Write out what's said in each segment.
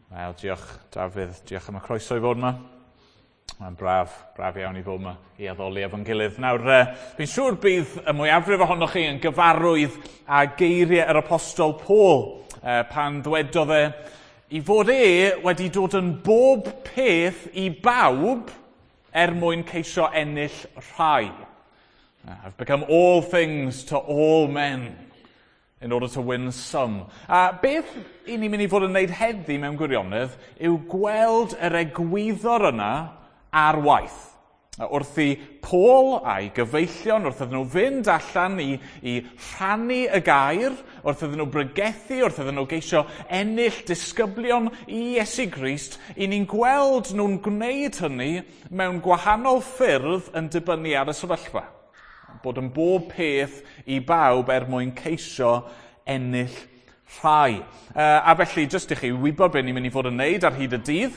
Wel, diolch Dafydd, diolch am y croeso i fod yma. Mae'n braf, braf iawn i fod yma i addoli efo'n gilydd. Nawr, fi'n siŵr bydd y mwyafrif ohonoch chi yn gyfarwydd â geiriau yr apostol Paul pan ddwedodd e i fod e wedi dod yn bob peth i bawb er mwyn ceisio ennill rhai. I've become all things to all men in order to win some. A beth i ni'n mynd i fod yn wneud heddi mewn gwirionedd yw gweld yr egwyddor yna ar waith. Wrth i Paul a'i gyfeillion, wrth iddyn nhw fynd allan i rhannu y gair, wrth iddyn nhw bregethu, wrth iddyn nhw geisio ennill disgyblion i Iesu Grist, i ni'n gweld nhw'n gwneud hynny mewn gwahanol ffyrdd yn dibynnu ar y sefyllfa. Bod yn bob peth i bawb er mwyn ceisio ennill rhai. A felly, jyst i chi wybod beth ni'n mynd i fod yn wneud ar hyd y dydd,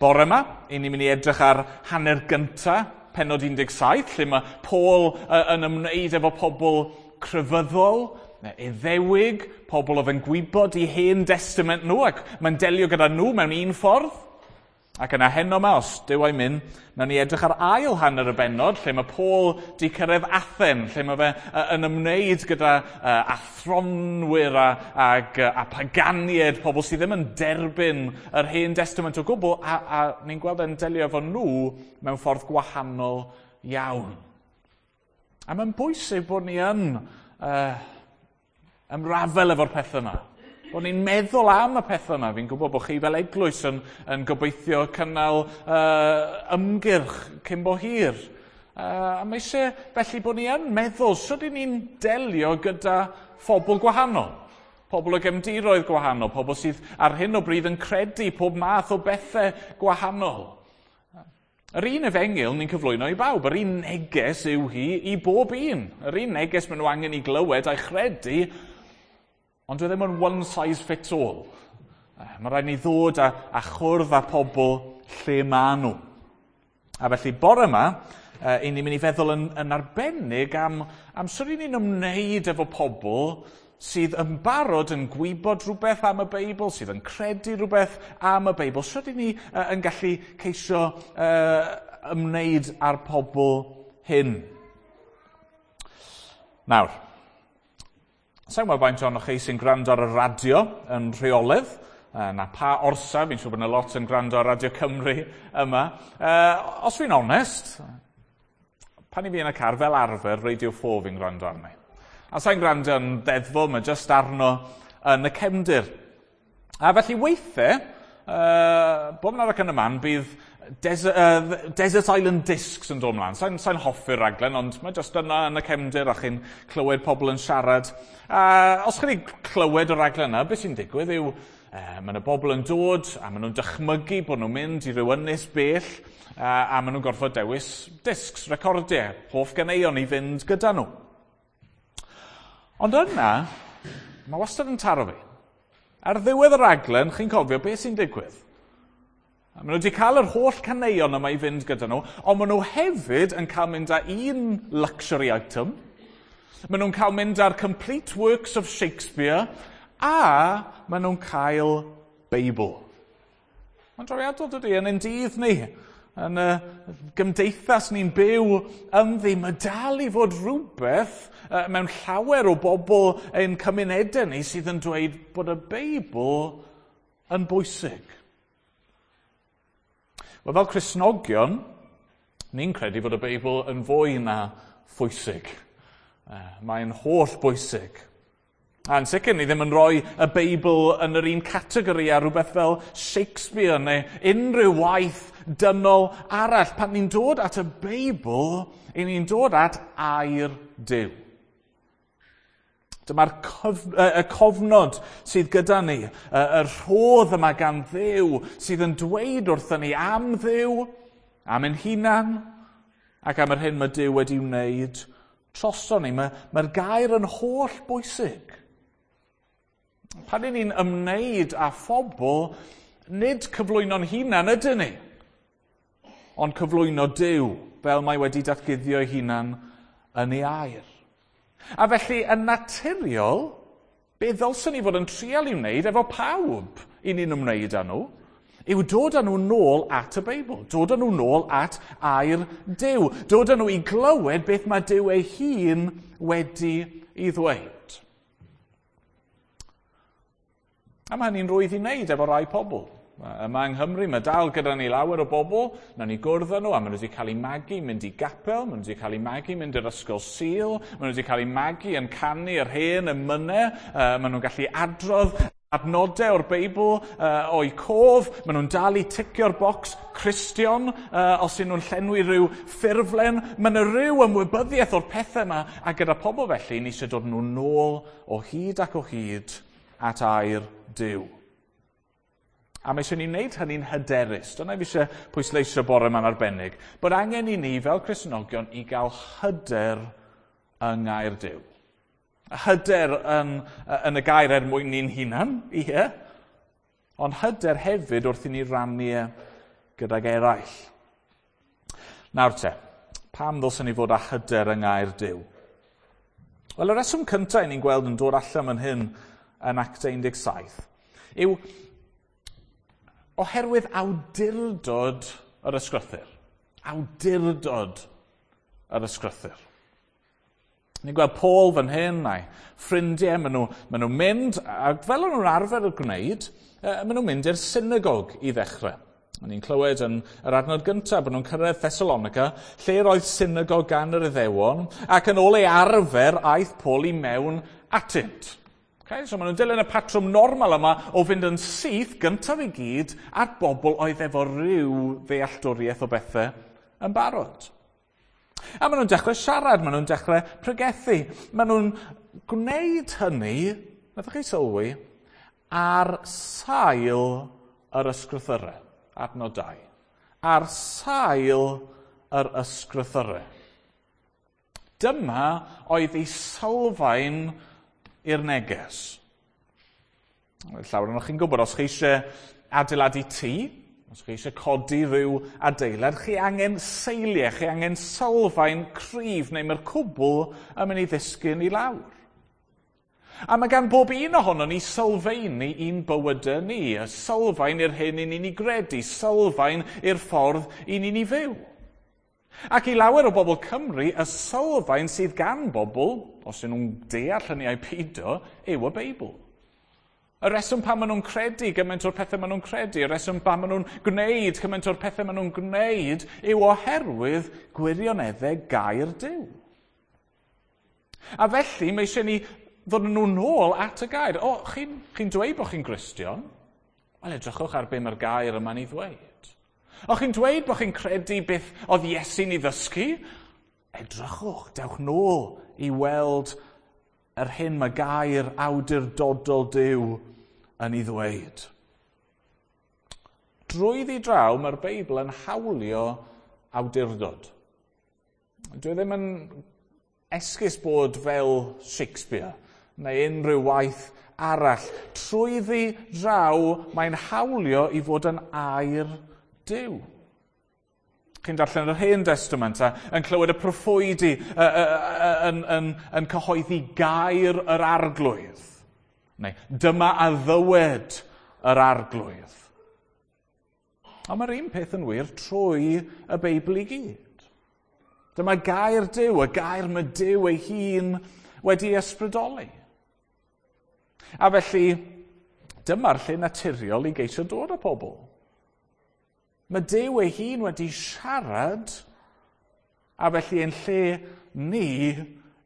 bore yma, i ni'n mynd i edrych ar hanner gynta, pennod 17, lle mae Paul yn ymwneud efo pobl crefyddol, Iddewig, pobl oedd yn gwybod i hen testament nhw, ac mae'n delio gyda nhw mewn un ffordd. Ac yna heno yma, os Duw a'i myn, nawn ni edrych ar ail hanner y bennod, lle mae Paul di cyrraedd Athen, lle mae fe yn ymwneud gyda athronwyr a paganiaid, pobl sydd ddim yn derbyn yr hen testament o gwbl, a ni'n gweld e'n delio efo nhw mewn ffordd gwahanol iawn. A mae'n bwysig bod ni yn ymrafel efo'r pethau yma. Bod ni'n meddwl am y pethau yma. Fi'n gwybod bod chi fel eglwys yn gobeithio cynnal ymgyrch cyn bo hir. A mae eisiau felly bod ni yn meddwl sut 'y ni'n delio gyda phobl gwahanol. Pobl o gefndiroedd gwahanol, pobl sydd ar hyn o bryd yn credu pob math o bethau gwahanol. Yr un efengyl ni'n cyflwyno i bawb, yr un neges yw hi i bob un. Yr un neges maen nhw angen i glywed a'i chredu, ond dwi ddim yn one size fits all. Mae rhaid ni ddod a chwrdd â pobl lle maen nhw. A felly bore yma, i ni'n mynd i feddwl yn arbennig am sut i ni'n ymwneud efo pobl sydd yn barod yn gwybod rhywbeth am y Beibl, sydd yn credu rhywbeth am y Beibl. Sut i ni yn gallu ceisio ymwneud â'r pobl hyn? Nawr, sa'n gwybod faint ohonoch chi sy'n gwrando ar y radio yn rheolaidd, na pa orsaf, fi'n siŵr bod yna lot yn gwrando ar Radio Cymru yma. Os fi'n onest, pan i fi yn y car fel arfer, Radio 4 fi'n gwrando arni. A sa'n gwrando yn deddfol, mae jyst arno yn y cefndir. A felly weithiau, bob yn ac yn y man, bydd Desert Island Discs yn dod ymlaen. Sa'n hoffi'r raglen, ond mae jyst yna yn y cefndir a chi'n clywed pobl yn siarad. A os chi wedi clywed y raglen yna, beth sy'n digwydd yw, mae yna bobl yn dod a maen nhw'n dychmygu bod nhw'n mynd i ryw ynys bell a maen nhw'n gorfod dewis discs, recordiau, hoff ganeuon i fynd gyda nhw. Ond yna, mae wastad yn taro fi. Ar ddiwedd y raglen, chi'n cofio beth sy'n digwydd. A maen nhw wedi cael yr holl caneuon yma i fynd gyda nhw, ond maen nhw hefyd yn cael mynd â un luxury item. Maen nhw'n cael mynd â'r Complete Works of Shakespeare, a maen nhw'n cael Beibl. Mae'n drawiadol dydy, yn ein dydd ni, yn y gymdeithas ni'n byw ynddi, mae dal i fod rhywbeth mewn llawer o bobl ein cymunedau ni sydd yn dweud bod y Beibl yn bwysig. Wel, fel Cristnogion, ni'n credu fod y Beibl yn fwy na phwysig. Mae'n holl bwysig. A yn sicr, ni ddim yn rhoi y Beibl yn yr un categori â rhywbeth fel Shakespeare neu unrhyw waith dynol arall. Pan ni'n dod at y Beibl, i ni'n dod at air Duw. Dyma'r y cofnod sydd gyda ni, y rhodd yma gan Dduw sydd yn dweud wrthyn ni am Dduw, am ein hunan, ac am yr hyn mae Duw wedi wneud droson ni. Mae'r gair yn holl bwysig. Pan 'y ni'n ymwneud â phobl, nid cyflwyno'n hunan ydyn ni, ond cyflwyno Duw fel mae wedi datguddio ei hunan yn ei air. A felly, yn naturiol, be ddylswn ni fod yn trial i wneud efo pawb i ni'n ymwneud â nhw, yw dod â nhw nôl at y Beibl, dod â nhw nôl at air Duw, dod â nhw i glywed beth mae Duw ei hun wedi ei ddweud. A mae hynny'n rwydd i wneud efo rai pobl. Yma yng Nghymru, mae dal gyda ni lawer o bobl, nawn ni gwrdd â nhw, a maen nhw wedi cael eu magu mynd i gapel, maen nhw wedi cael eu magu mynd i'r ysgol Sul, maen nhw wedi cael eu magu yn canu yr hen emynau, maen nhw'n gallu adrodd adnodau o'r Beibl o'u cof, maen nhw'n dal i ticio'r bocs Cristion os ydyn nhw'n llenwi rhyw ffurflen. Mae yna rhyw ymwybyddiaeth o'r pethau yma, a gyda pobl felly, ni eisiau dod nhw nôl o hyd ac o hyd at air Duw. A mae eisiau ni wneud hynny'n hyderus. Dyna fi eisiau pwysleisio bore yma'n arbennig. Bod angen i ni fel Cristnogion i gael hyder yng ngair Duw. Hyder yn y gair er mwyn ni'n hunan, ie. Ond hyder hefyd wrth i ni rannu e gydag eraill. Nawr te, pam ddylsen ni fod â hyder yng ngair Duw? Wel, y reswm cyntaf i ni'n gweld yn dod allan fan hyn yn Actau 17 yw oherwydd awdurdod yr ysgrythur. Awdurdod yr ysgrythur. Ni'n gweld Paul fan hyn a'i ffrindiau, maen nhw mynd, a fel o'n nhw'n arfer y gwneud, maen nhw'n mynd i'r synagog i ddechrau. O'n ni'n clywed yn yr adnod gyntaf bod nhw'n cyrraedd Thessalonica, lle roedd synagog gan yr Iddewon, ac yn ôl ei arfer aeth Paul i mewn atynt. Okay, so maen nhw'n dilyn y patrwm normal yma o fynd yn syth gyntaf i gyd at bobl oedd efo rhyw ddealltwriaeth o bethau yn barod. A maen nhw'n dechrau siarad, maen nhw'n dechrau pregethu. Maen nhw'n gwneud hynny, wnaethoch chi sylwi, ar sail yr ysgrythyrau, adnod 2. Ar sail yr ysgrythyrau. Dyma oedd ei sylfaen i'r neges. Llawer ohonoch chi'n gwybod, os chi eisiau adeiladu tŷ, os chi eisiau codi rhyw adeilad, chi angen seiliau, chi angen sylfaen cryf, neu mae'r cwbl yn mynd i ddisgyn i lawr. A mae gan bob un ohonon ni sylfaeni i'n bywydau ni, y sylfaen i'r hyn i ni'n ei gredu, sylfaen i'r ffordd i ni'n ei fyw. Ac i lawer o bobl Cymru, y sylfaen sydd gan bobl, os ydyn nhw'n deall hynny ai peidio, yw y Beibl. Y reswm pam maen nhw'n credu gymaint o'r pethau maen nhw'n credu, y reswm pam maen nhw'n gwneud gymaint o'r pethau maen nhw'n gwneud, yw oherwydd gwirioneddau gair Duw. A felly, mae eisiau ni ddod nhw nôl at y gair. O, chi'n dweud bod chi'n Gristion? Wel, edrychwch ar be mae'r gair yma'n ei ddweud. O, chi'n dweud bod chi'n credu beth oedd Iesu'n ei ddysgu? Edrychwch, dewch nôl i weld yr hyn mae gair awdurdodol Duw yn ei ddweud. Drwyddi draw, mae'r Beibl yn hawlio awdurdod. Dwi ddim yn esgus bod fel Shakespeare neu unrhyw waith arall. Trwyddi draw, mae'n hawlio i fod yn air Duw. Chi'n darllen yr Hen Testament a yn clywed y proffwydi yn cyhoeddi gair yr Arglwydd. Neu dyma a ddywed yr Arglwydd. Ond mae'r un peth yn wir trwy y Beibl i gyd. Dyma gair Duw, y gair mae Duw ei hun wedi ysbrydoli. A felly, dyma'r lle naturiol i geisio dod â pobl. Mae Duw ei hun wedi siarad, a felly ein lle ni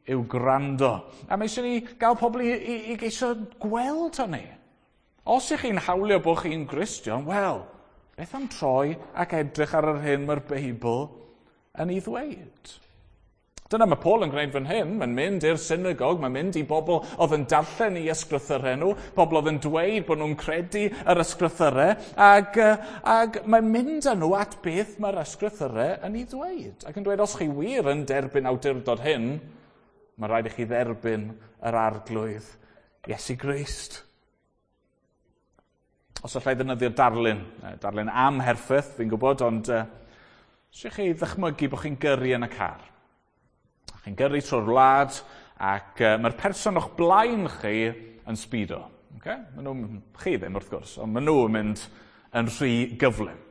yw gwrando. A mae eisiau ni gael pobl i geisio gweld hynny. Os ych chi'n hawlio bod chi'n Gristion, wel, beth am troi ac edrych ar yr hyn mae'r Beibl yn ei ddweud? Dyna mae Paul yn gwneud fan hyn. Mae'n mynd i'r synagog, mae'n mynd i bobl oedd yn darllen i ysgrythyrau nhw, bobl oedd yn dweud bod nhw'n credu yr ysgrythyrau, ac mae'n mynd â nhw at beth mae'r ysgrythyrau yn ei ddweud. Ac yn dweud, os chi wir yn derbyn awdurdod hyn, mae rhaid i chi dderbyn yr Arglwydd Iesu Grist. Os allai ddefnyddio darlun amherffaith, fi'n gwybod, ond os chi ddychmygu bod chi'n gyrru yn y car. Chi'n gyrru trwy'r wlad ac mae'r person o'ch blaen chi yn sbido. Okay? Maen nhw, chi ddim wrth gwrs, ond maen nhw yn mynd yn rhy gyflym.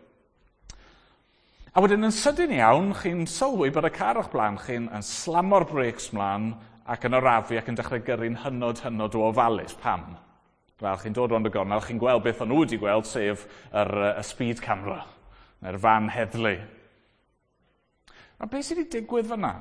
A wedyn yn sydyn iawn, chi'n sylwi bod y car o'ch blaen chi'n yn slamo'r brakes mlaen ac yn orafu ac yn dechrau gyrru'n hynod, hynod o ofalus. Pam? Wel, chi'n dod rownd y gornel, chi'n gweld beth o'n nhw wedi gweld, sef y speed camera, neu'r fan heddlu. A beth sydd wedi digwydd fyna?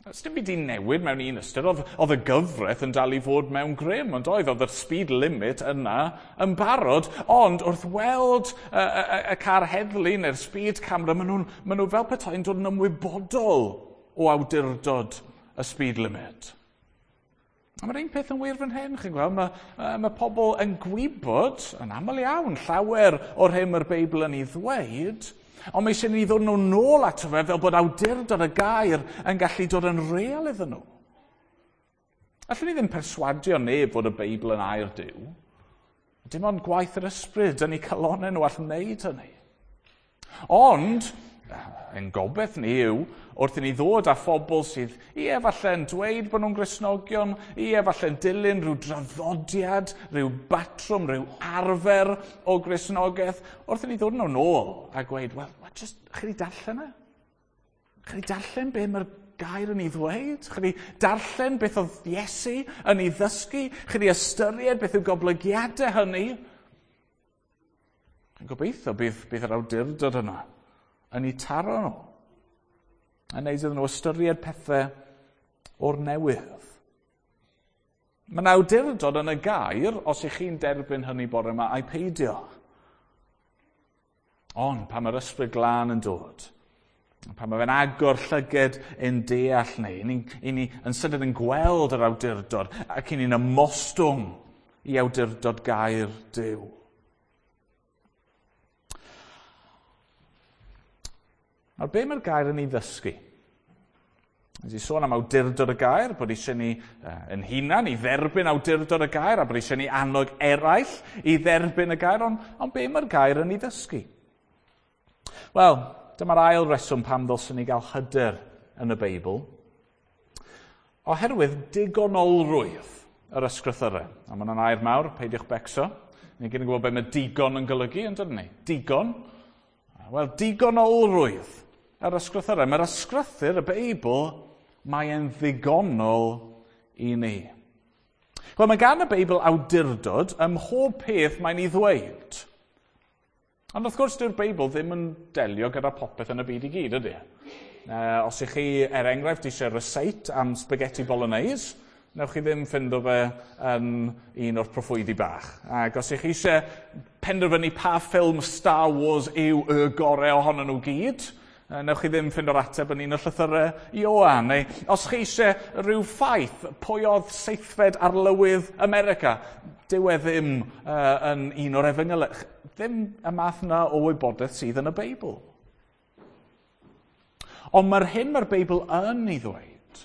Dim byd i newid mewn un ystyr, oedd y gyfraith yn dal i fod mewn grym, ond oedd y speed limit yna yn barod, ond wrth weld y car heddlu neu'r speed camera, maen nhw fel petai'n dod yn ymwybodol o awdurdod y speed limit. A mae'r un peth yn wir fan hyn, chi'n gweld, mae pobl yn gwybod, yn aml iawn, llawer o'r hyn mae'r Beibl yn ei ddweud, ond mae eisiau ni ddod nhw nôl ato fe fel bod awdurdod y gair yn gallu dod yn real iddyn nhw. Allwn ni ddim perswadio neb fod y Beibl yn air Duw. Dim ond gwaith yr ysbryd yn eu calonnau nhw all wneud hynny. Ond, ein gobaith ni yw, wrth i ni ddod â phobl sydd i efallai'n dweud bod nhw'n Gristnogion, i efallai'n dilyn rhyw draddodiad, rhyw batrwm, rhyw arfer o Gristnogaeth, wrth i ni ddod nhw nôl a gweud, wel, just, chi wedi darllen e? Chi wedi darllen be mae'r gair yn ei ddweud? Chi wedi darllen beth oedd Iesu yn ei ddysgu? Chi wedi ystyried beth yw goblygiadau hynny? Yn gobeithio bydd yr awdurdod yna yn eu taro nhw. A wneud iddyn nhw ystyried pethau o'r newydd. Mae'n awdurdod yn y gair, os ych chi'n derbyn hynny bore yma, a'i peidio. Ond pan mae'r ysbryd glân yn dod, pan mae fe'n agor llyged ein deall ni, i ni yn sydyn yn gweld yr awdurdod ac i ni'n ymostwng i awdurdod gair Duw. Nawr, be mae'r gair yn ei ddysgu? Nes i sôn am awdurdod y gair, bod eisiau ni yn hunan i dderbyn awdurdod y gair, a bod eisiau ni annog eraill i dderbyn y gair, ond be mae'r gair yn ei ddysgu? Wel, dyma'r ail reswm pam ddylswn ni gael hyder yn y Beibl. Oherwydd digonolrwydd yr ysgrythyrau. A mae hwnna'n air mawr, peidiwch becso. Ni gyd yn gwybod be mae digon yn golygu, yn dydyn ni? Digon. Wel, digonolrwydd yr ysgrythyrau. Mae'r ysgrythyr, y Beibl, mae e'n ddigonol i ni. Wel, mae gan y Beibl awdurdod ym mhob peth mae'n ei ddweud. Ond wrth gwrs, dyw'r Beibl ddim yn delio gyda popeth yn y byd i gyd, ydy? Os ych chi, er enghraifft, eisiau receipt am spaghetti bolognese, newch chi ddim ffindo fe yn un o'r proffwydi bach. Ac os ych chi eisiau penderfynu pa ffilm Star Wars yw y gorau ohonyn nhw gyd, newch chi ddim ffindo'r ateb yn un o'r llythyrau Ioan. Neu os chi eisiau rhyw ffaith, pwy oedd seithfed arlywydd America, dyw e ddim yn un o'r efengylau. Ddim y math yna o wybodaeth sydd yn y Beibl. Ond mae'r hyn mae'r Beibl yn ei ddweud,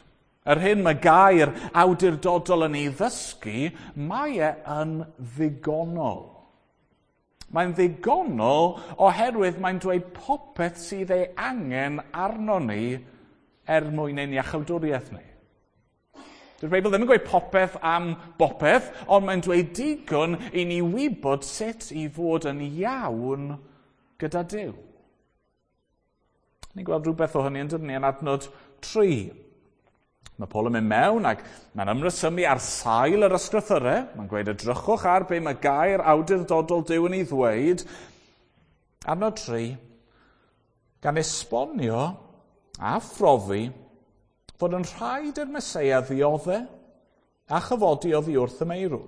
yr hyn mae gair awdurdodol yn ei ddysgu, mae e yn ddigonol. Mae'n ddigonol oherwydd mae'n dweud popeth sydd ei angen arno ni er mwyn ein iachawdwriaeth ni. Dyw'r Beibl ddim yn gweud popeth am bopeth, ond mae'n dweud digon i ni wybod sut i fod yn iawn gyda Duw. Ni'n gweld rhywbeth o hynny yn dydyn ni yn adnod 3. Mae Paul yn mynd mewn ac mae'n ymresymu ar sail yr ysgrythyrau. Mae'n gweud edrychwch ar be mae gair awdurdodol Duw yn ei ddweud. Adnod 3, gan esbonio a phrofi fod yn rhaid i'r Meseia ddioddef a chyfodi oddi wrth y meirw.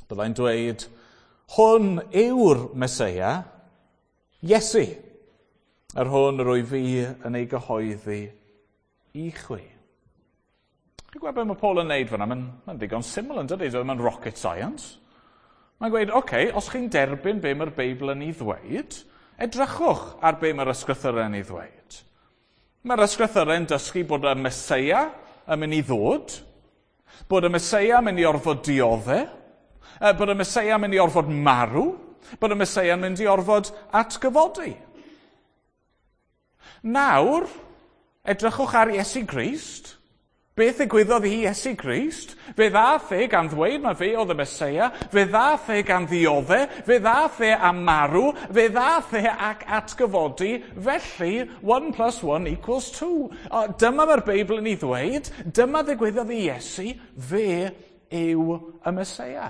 Byddai'n dweud, hwn yw'r Meseia, Iesu, yr hwn yr wyf fi yn ei gyhoeddi i chwi. Chi'n gweld beth mae Paul yn neud fan'na? Mae'n ddigon syml yn dydi? Mae'n rocket science. Mae'n gweud, oce, os chi'n derbyn be mae'r Beibl yn ei ddweud, edrychwch ar be mae'r ysgrythyrau yn ei ddweud. Mae'r ysgrythyrau yn dysgu bod y Meseia yn mynd i ddod, bod y Meseia yn mynd i orfod dioddef, bod y Meseia yn mynd i orfod marw, bod y Meseia yn mynd i orfod atgyfodi. Nawr, edrychwch ar Iesu Grist. Beth ddigwyddodd i Iesu Grist? Fe ddath e gan ddweud mae fe oedd y Meseia, fe ddath e gan ddiodde, fe ddath e am marw, fe ddath e ac atgyfodi, felly 1 plus 1 equals 2. O, dyma mae'r Beibl yn ei ddweud, dyma ddigwyddodd i Iesu, fe yw y Meseia.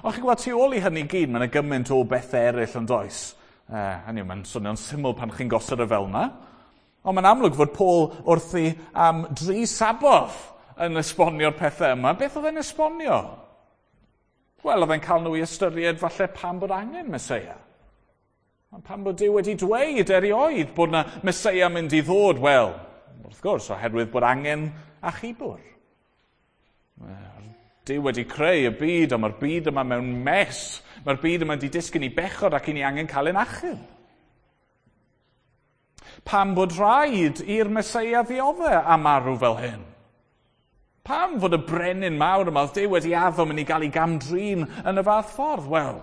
Ond chi'n gwybod, tu ôl i hynny gyd, mae'n gymaint o bethau eraill yn does. Hynny yw, mae'n swnio'n syml pan chi'n gosod y fel yna. Ond mae'n amlwg fod Paul wrthi am dri saboth yn esbonio'r pethau yma. Beth oedd e'n esbonio? Wel, oedd e'n cael nhw i ystyried falle pam bod angen Meseia. Pam bod Duw wedi dweud erioed bod yna Meseia mynd i ddod? Wel, wrth gwrs, oherwydd bod angen achubwr. Duw wedi creu y byd, ond mae'r byd yma mewn mes. Mae'r byd yma wedi disgyn i bechod ac i ni angen cael ein achub. Pam bod rhaid i'r Meseia ddiodde a marw fel hyn? Pam fod y brenin mawr yma oedd Duw wedi addo mynd i gael ei gamdrin yn y fath ffordd? Wel,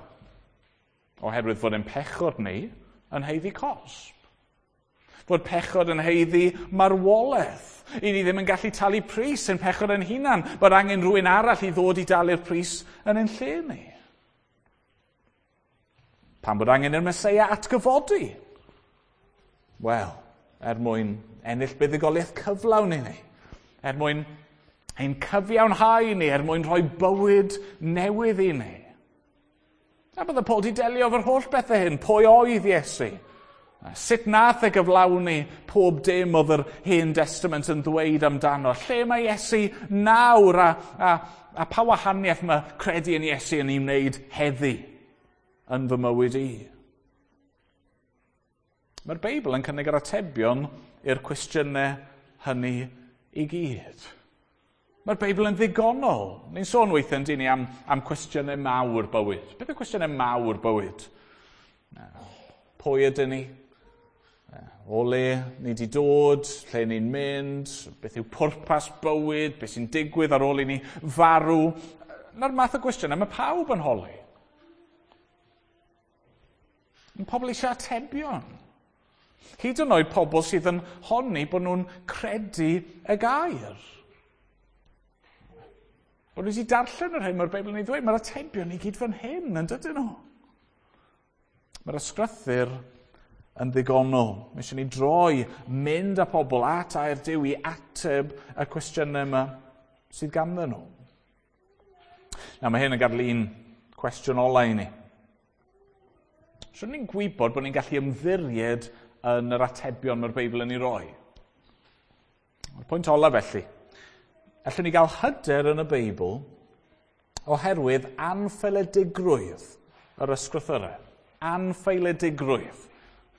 oherwydd fod ein pechod ni yn haeddu cosb. Fod pechod yn haeddu marwolaeth. I ni ddim yn gallu talu pris yn pechod yn hunan, bod angen rhywun arall i ddod i dalu'r pris yn ein lle ni. Pam bod angen i'r Meseia atgyfodi? Wel, er mwyn ennill buddugoliaeth cyflawn i ni, er mwyn ein cyfiawnhau ni, er mwyn rhoi bywyd newydd i ni. A bydde Paul di delio efo'r holl bethau hyn. Pwy oedd Iesu? Sut nath e gyflawni pob dim oedd yr Hen Testament yn ddweud amdano? Lle mae Iesu nawr a pa wahaniaeth mae credu yn Iesu yn ei wneud heddi yn fy mywyd i? Mae'r Beibl yn cynnig yr atebion i'r cwestiynau hynny i gyd. Mae'r Beibl yn ddigonol. Ni'n sôn weithiau yn ni am cwestiynau mawr bywyd. Beth yw cwestiynau mawr bywyd? Pwy ydyn ni? O le ni wedi dod, lle ni'n mynd, beth yw pwrpas bywyd, beth sy'n digwydd ar ôl i ni farw. Na'r math o gwestiynau mae pawb yn holi. Mae pobl eisiau atebion. Hyd yn oed pobl sydd yn honni bod nhw'n credu y gair. Bod nhw wedi darllen yr hyn mae'r Beibl yn ei ddweud, mae'r atebion i gyd fan hyn, yn dydyn nhw? Mae'r ysgrythur yn ddigonol. Mae eisiau ni droi, mynd â pobl at air Duw i ateb y cwestiynau yma sydd ganddyn nhw. Nawr, mae hyn yn gadael un cwestiwn ola i ni. Swn ni'n gwybod bod ni'n gallu ymddiried yn yr atebion mae'r Beibl yn ei roi? Y pwynt ola felly, allwn ni gael hyder yn y Beibl oherwydd anffaeledigrwydd yr ysgrythurau. Anffaeledigrwydd.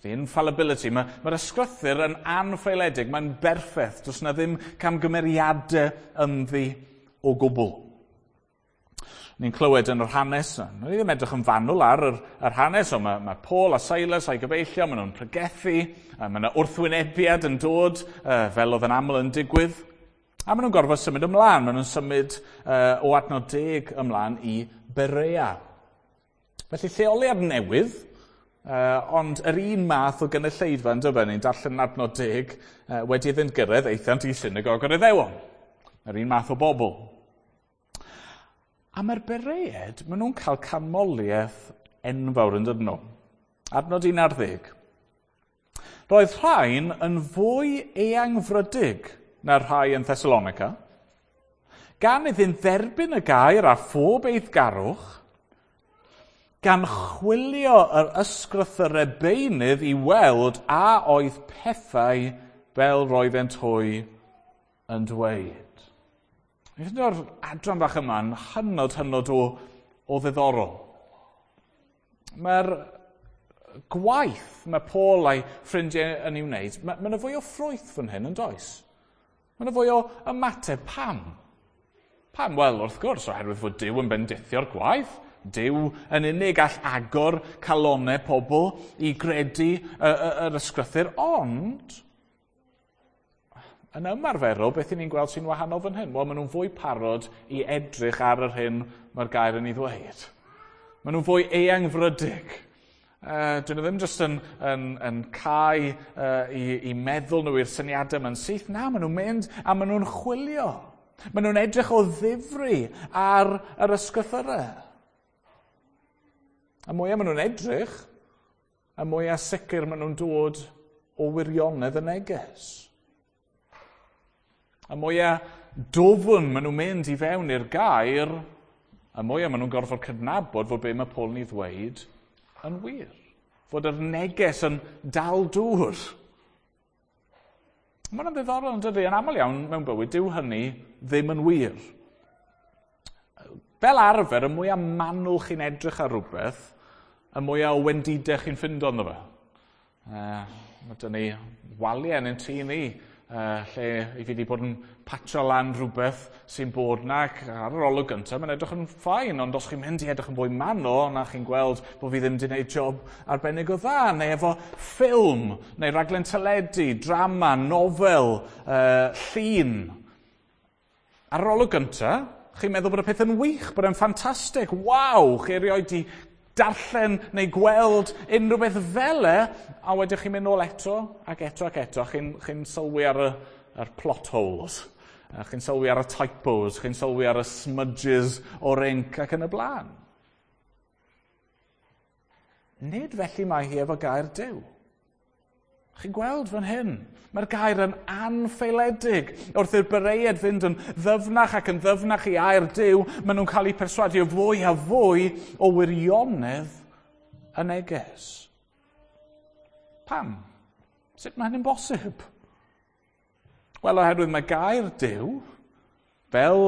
The infallibility. Mae'r ysgrythur yn anffaeledig, mae'n berffaith. Does na ddim camgymeriadau ynddi o gwbl. Ni'n clywed yn yr hanes, ni ddim edrych yn fanwl ar yr hanes, ond mae Paul a Silas a'i gyfeillion, maen nhw'n pregethu, mae yna wrthwynebiad yn dod, fel oedd yn aml yn digwydd, a maen nhw'n gorfod symud ymlaen, maen nhw'n symud o adnod 10 ymlaen i Berea. Felly lleoliad newydd, ond yr un math o gynulleidfa yn dyfe, ni'n darllen adnod 10, wedi iddynt gyrraedd aethant i synagog yr Iddewon. Yr un math o bobl. A mae'r Beread, maen nhw'n cael canmoliaeth enfawr yn dydyn nhw. Adnod 11. Roedd rhain yn fwy eangfrydig na'r rhai yn Thessalonica, gan iddynt dderbyn y gair a phob eiddgarwch, gan chwilio yr ysgrythyrau beunydd i weld a oedd pethau fel roeddent hwy yn dweud. Ni'n ffeindio'r adran bach yma'n hynod o ddiddorol. Mae'r gwaith mae Paul a'i ffrindiau yn ei wneud, mae yna fwy o ffrwyth fan hyn yn does? Mae yna fwy o ymateb. Pam? Pam? Wel, wrth gwrs, oherwydd fod Duw yn bendithio'r gwaith. Duw yn unig all agor calonnau pobl i gredu yr ysgrythur, ond yn ymarferol, beth 'y ni'n gweld sy'n wahanol fan hyn? Wel, maen nhw'n fwy parod i edrych ar yr hyn mae'r gair yn ei ddweud. Maen nhw'n fwy eangfrydig. Dyn nhw ddim jyst yn cau i meddwl nhw i'r syniadau yma'n syth. Na, maen nhw'n mynd a maen nhw'n chwilio. Maen nhw'n edrych o ddifri ar yr ysgrythurau. A mwyaf maen nhw'n edrych, y mwyaf sicr maen nhw'n dod o wirionedd y neges. Y mwyaf dwfn maen nhw'n mynd i fewn i'r gair, y mwyaf maen nhw'n gorfod cydnabod fod be mae Paul yn ei ddweud yn wir. Fod yr neges yn dal dŵr. Mae hwnna'n ddiddorol yn dydy, yn aml iawn mewn bywyd, dyw hynny ddim yn wir. Fel arfer, y mwyaf manwl chi'n edrych ar rhywbeth, y mwyaf o wendidau chi'n ffindo ynddo fe. Mae dyn ni waliau yn ein tŷ ni, lle i fi wedi bod yn patio lan rhywbeth sy'n bod na, ac ar yr olwg gyntaf, mae'n edrych yn fine, ond os chi'n mynd i edrych yn fwy manwl, na chi'n gweld bod fi ddim wedi gwneud job arbennig o dda, neu efo ffilm, neu raglen teledu, drama, nofel, llun. Ar yr olwg gyntaf, chi'n meddwl bod y peth yn wych, bod e'n ffantastig, waw, chi erioed di darllen neu gweld unrhyw beth fel e, a wedyn chi'n mynd nôl eto, ac eto, ac eto, chi'n sylwi ar yr plot holes, a chi'n sylwi ar y typos, chi'n sylwi ar y smudges o'r ink ac yn y blaen. Nid felly mae hi efo gair Duw. Chi'n gweld fan hyn? Mae'r gair yn anffeiledig. Wrth i'r Bereiaid fynd yn ddyfnach ac yn ddyfnach i air Duw, maen nhw'n cael eu perswadio fwy a fwy o wirionedd y neges. Pam? Sut mae hynny'n bosib? Wel, oherwydd mae gair Duw, fel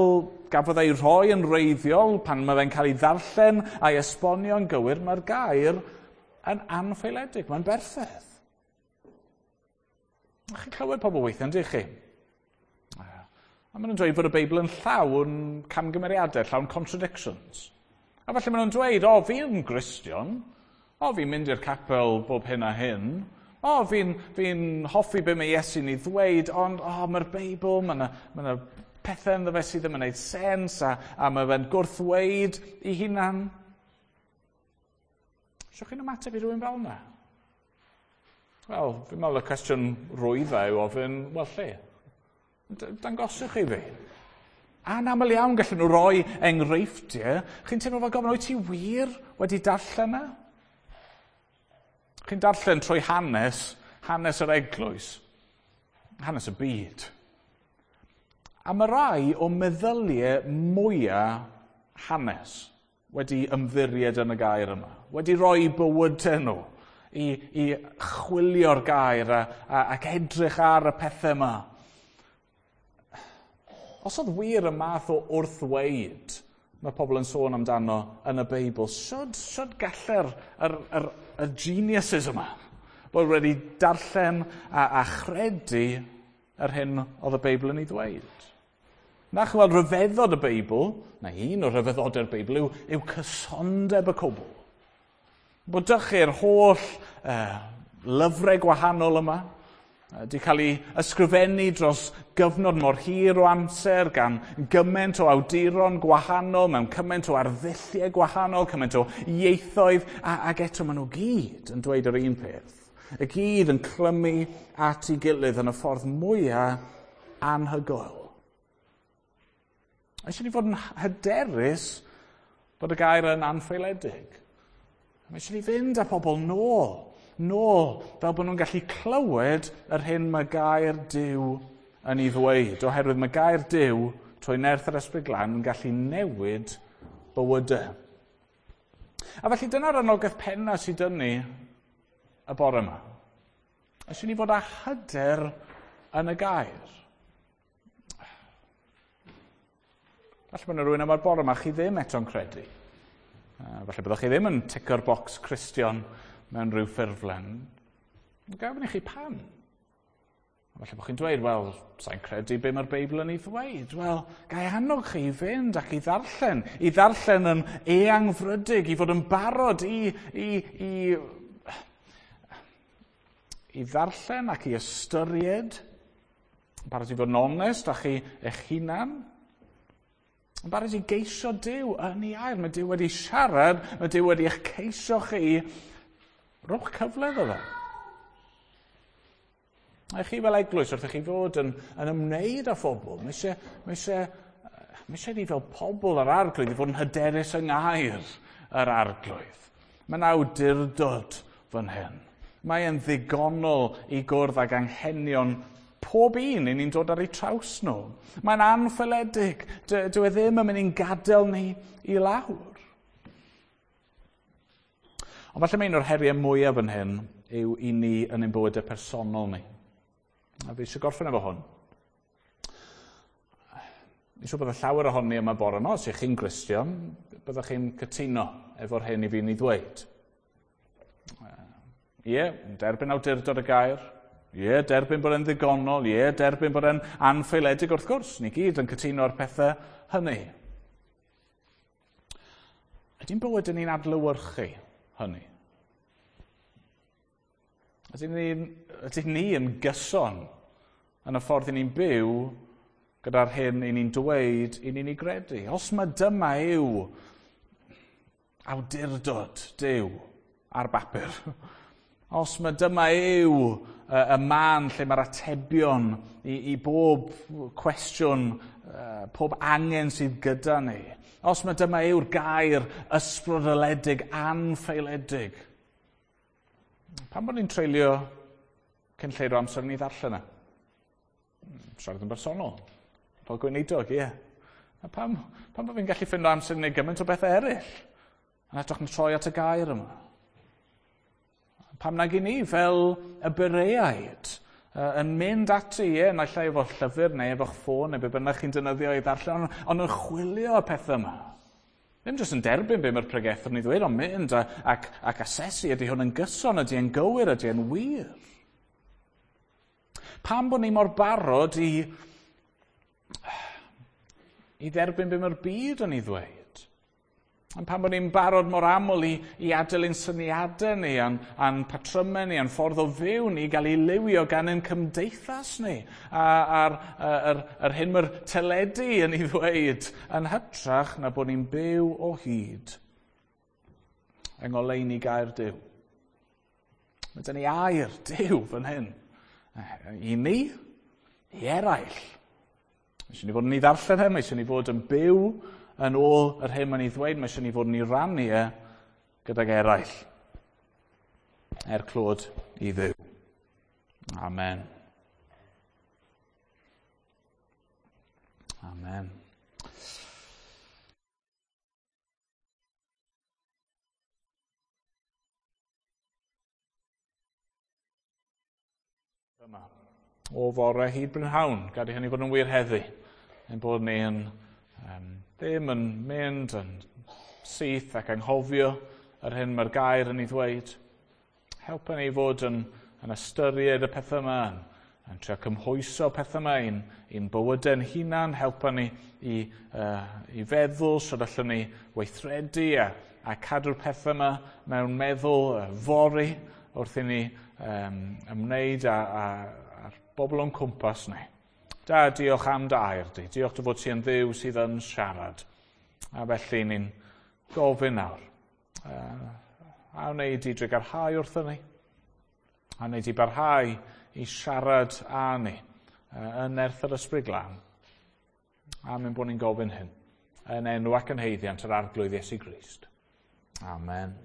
gafodd ei rhoi yn wreiddiol pan mae fe'n cael ei ddarllen a'i esbonio'n gywir, mae'r gair yn anffeiledig, mae'n berffaith. Chi'n clywed pobl weithiau, yndych chi? A maen nhw'n dweud bod y Beibl yn llawn camgymeriadau, llawn contradictions. A falle maen nhw'n dweud, o, fi'n Gristion, o, fi'n mynd i'r capel bob hyn a hyn, o, fi hoffi be mae Iesu'n ei ddweud, ond, o, mae'r Beibl, mae yna ma pethau ynddo fe sydd ddim yn gwneud sens, a mae fe'n gwrthweud i hunan. Sut chi'n ymateb i rhywun fel yna? Wel, fi'n meddwl y cwestiwn rwydda yw ofyn, wel lle? Dangoswch i fi. Anaml iawn gallen nhw roi enghreifftiau. Chi'n teimlo fel gofyn, wyt ti wir wedi darllen e? Chi'n darllen trwy hanes yr eglwys, hanes y byd. A mae rai o meddyliau mwyaf hanes wedi ymddiried yn y gair yma, wedi rhoi bywydau nhw i chwilio'r gair ac edrych ar y pethau yma. Os oedd wir y math o wrthweud mae pobl yn sôn amdano yn y Beibl, sut galle'r y geniuses yma bod wedi darllen a chredu yr hyn oedd y Beibl yn ei ddweud? Na chi weld rhyfeddod y Beibl, na un o rhyfeddodau'r Beibl yw cysondeb y cwbl. Bod dych chi'r holl lyfrau gwahanol yma, wedi cael ei ysgrifennu dros gyfnod mor hir o amser gan gymaint o awduron gwahanol, mewn cymaint o arddulliau gwahanol, cymaint o ieithoedd, ac eto maen nhw gyd yn dweud yr un peth. Y gyd yn clymu at ei gilydd yn y ffordd mwyaf anhygoel. Mae eisiau ni fod yn hyderus bod y gair yn anffeiledig. Mae eisiau ni fynd â pobl nôl, fel bod nhw'n gallu clywed yr hyn mae gair Duw yn ei ddweud. Oherwydd mae gair Duw, trwy nerth yr Ysbryd Glân, yn gallu newid bywydau. A felly dyna'r anogaeth penna sydd dyn ni y bore yma. Eisiau ni fod â hyder yn y gair. Falle bod yna rhywun yma'r bore yma chi ddim eto'n credu. Falle byddwch chi ddim yn ticio'r bocs Cristion mewn rhyw ffurflen. Gafon i chi pam? Falle bod chi'n dweud, wel, sa'n credu be mae'r Beibl yn ei ddweud. Wel, ga i annog chi i fynd ac i ddarllen yn eangfrydig, i fod yn barod i ddarllen ac i ystyried, barod i fod yn onest â chi eich hunan, yn barod i geisio Duw yn ei air. Mae Duw wedi siarad, mae Duw wedi eich ceisio chi. Rhowch cyfle iddo fe. A chi fel eglwys, wrth i chi fod yn ymwneud â phobl, mae eisiau ni fel pobl yr Arglwydd i fod yn hyderus yng ngair yr Arglwydd. Mae'n awdurdod fan hyn. Mae e'n ddigonol i gwrdd ag anghenion pob un i ni'n dod ar eu traws nhw. Mae'n anffaeledig. Dyw e ddim yn mynd i'n gadael ni i lawr. Ond falle mae un o'r heriau mwyaf fan hyn yw i ni yn ein bywydau personol ni. A fi eisiau gorffen efo hwn. Fi'n siŵr bod llawer ohoni yma bore yma, os ych chi'n Gristion, byddwch chi'n cytuno efo'r hyn i fi'n ei ddweud. Ie, derbyn awdurdod y gair. Ie, derbyn bod e'n ddigonol. Ie, derbyn bod e'n anffaeledig wrth gwrs. Ni gyd yn cytuno ar pethau hynny. Ydy'n bywyd yn ni'n adlewyrchu hynny? Ydyn ni yn gyson yn y ffordd i ni'n byw gyda'r hyn i ni'n dweud i ni'n ei gredu? Os mae dyma yw awdurdod Duw ar bapur, os mae dyma yw y man lle mae'r atebion i bob cwestiwn, pob angen sydd gyda ni, os mae dyma yw'r gair ysbrydoledig, anffaeledig, pam bod ni'n treulio cyn lleied o amser ni ddarllen e? Siarad yn bersonol, fel gweinidog, ie. A pam bod fi'n gallu ffindo amser i wneud gymaint o bethau eraill? Yn hytrach na troi at y gair yma. Pam nag i ni fel y Bereaid yn mynd ati, ie, naill ai efo llyfr neu efo'ch ffôn neu be bynnag chi'n defnyddio i ddarllen, ond yn chwilio y pethau yma. Ddim jyst yn derbyn be mae'r pregethwr yn ei ddweud, ond mynd ac asesu, ydy hwn yn gyson, ydy e'n gywir, ydy e'n wir. Pam bod ni mor barod i dderbyn be mae'r byd yn ei ddweud? Ond pam bod ni'n barod mor aml i adael ein syniadau ni, a'n patrymau ni, a'n ffordd o fyw ni, gael ei liwio gan ein cymdeithas ni, a'r hyn mae'r teledu yn ei ddweud, yn hytrach na bod ni'n byw o hyd yng ngoleuni gair Duw. Mae 'da ni air Duw fan hyn. I ni, i eraill. Mae eisiau ni fod yn ei ddarllen e, mae eisiau ni fod yn byw yn ôl yr hyn mae'n ei ddweud, mae eisiau ni fod yn ei rannu e gydag eraill. Er clod i Dduw. Amen. Amen. Yma. O fore hyd brynhawn, gad i hynny fod yn wir heddi. Ein bod ni yn ddim yn mynd yn syth ac anghofio yr hyn mae'r gair yn ei ddweud. Helpa ni fod yn ystyried y pethau yma, yn trio cymhwyso pethau yma i'n bywydau'n hunan. Helpa ni i feddwl sut allwn ni weithredu a cadw'r pethau yma mewn meddwl fory wrth i ni ymwneud â'r bobl o'n cwmpas ni. Da, diolch am dy air di. Diolch dy fod ti yn Dduw sydd yn siarad. A felly ni'n gofyn nawr. A wnei di drugarhau wrthon ni? A wnei di barhau i siarad â ni yn nerth yr Ysbryd Glân? A mynd bod ni'n gofyn hyn. Yn enw ac yn haeddiant yr Arglwydd Iesu Grist. Amen.